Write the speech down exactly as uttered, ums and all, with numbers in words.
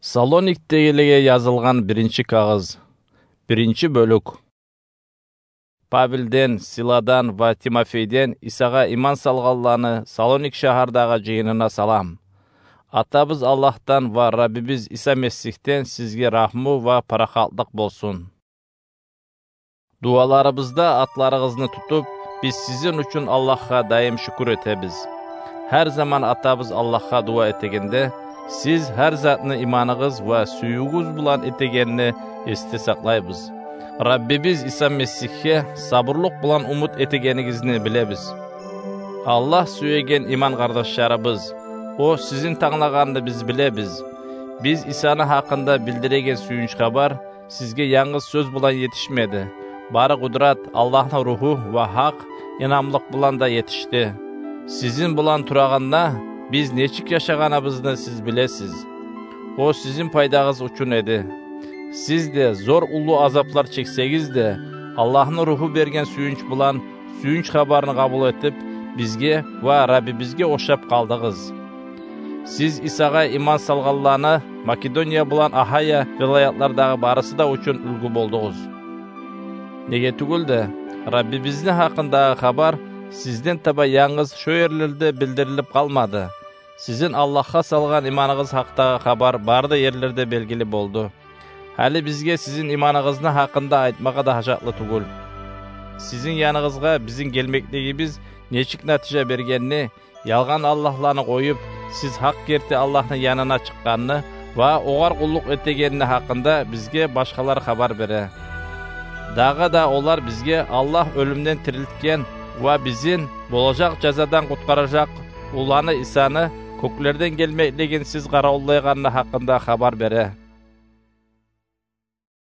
Салоникдегилеге язылгъан биринчи кагъыз. Биринчи бёлюк. Павелден, Силадан ва Тимофейден Исагъа иман салгъанланы Салоник шагьардагъы жыйынына салам. Атабыз Аллагьдан ва Раббибиз Иса Месигьден сизге рагьму ва парахатлыкъ болсун. Дуаларыбызда атларыгъызны тутуп, биз сизин учун Аллагьгъа даим шюкюр этебиз. Гьар заман Атабыз Аллагьгъа дуа этегенде, сиз гьар затны иманыгъыз ва сюювюгюз булан этегенни эсде сакълайбыз. Раббибиз Иса Месигьге сабурлукъ булан умут этегенигизни билебиз. Аллагь сюеген иман къардашларыбыз, о сизин танглагъанны биз билебиз. Биз Исаны гьакъында билдиреген сююнч хабар сизге янгыз сёз булан етишмеди. Бары къудрат, Аллагьны Ругьу ва гьакъ инамлыкъ булан да етишди. Сизин булан турагъанда, биз нечик яшагъаныбызны сиз билесиз. О сизин пайдагъыз учун эди. Сиз де зор уллу азаплар чексегиз де, Аллагьны Ругьу берген сююнч булан сююнч хабарны къабул этип, бизге ва Раббибизге ошап къалдыгъыз. Сиз Исагъа иман салгъанланы Македония булан Ахая вилаятлардагъы барысы да учун уьлгю болдугъуз. Неге тюгюл де, Раббибизни гьакъындагъы хабар сизден таба янгыз шо ерлерде билдирилип къалмады. Сизин Аллагьгъа салгъан иманыгъыз гьакъдагъы хабар бары да ерлерде белгили болду. Гьали бизге сизин иманыгъызны гьакъында айтмагъа да гьажатлы тюгюл. Сизин яныгъызгъа бизин гелмеклигибиз нечик натижа бергенни, ялгъан аллагьланы къоюп, сиз гьакъ герти Аллагьны янына чыкъгъанны ва огъар къуллукъ этегенни гьакъында бизге башгъалар хабар бере. Дагъы да олар бизге Аллагь оьлюмден тирилтген ва бизин болажакъ жазадан къутгъаражакъ уланы Исаны кёклерден гелмеклигин сиз къаравуллайгъанны гьакъында хабар бере.